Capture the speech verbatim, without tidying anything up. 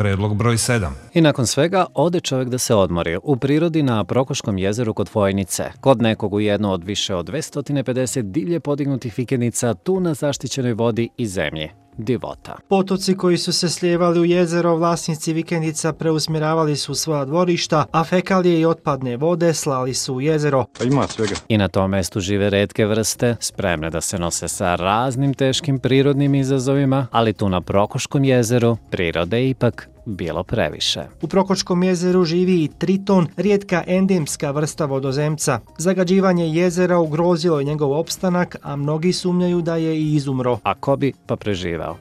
predlog broj sedam. I nakon svega ode čovjek da se odmori u prirodi na Prokoškom jezeru kod Vojnice, kod nekog u jednu od više od dvesta pedeset divlje podignutih vikendica tu na zaštićenoj vodi i zemlji. Divota. Potoci koji su se slijevali u jezero, vlasnici vikendica preusmjeravali su svoja dvorišta, a fekalije i otpadne vode slali su u jezero. Pa ima svega. I na tom mestu žive retke vrste, spremne da se nose sa raznim teškim prirodnim izazovima, ali tu na Prokoškom jezeru prirode je ipak bilo previše. U Prokoškom jezeru živi i triton, rijetka endemska vrsta vodozemca. Zagađivanje jezera ugrozilo je njegov opstanak, a mnogi sumnjaju da je i izumro. A ko bi pa preživao?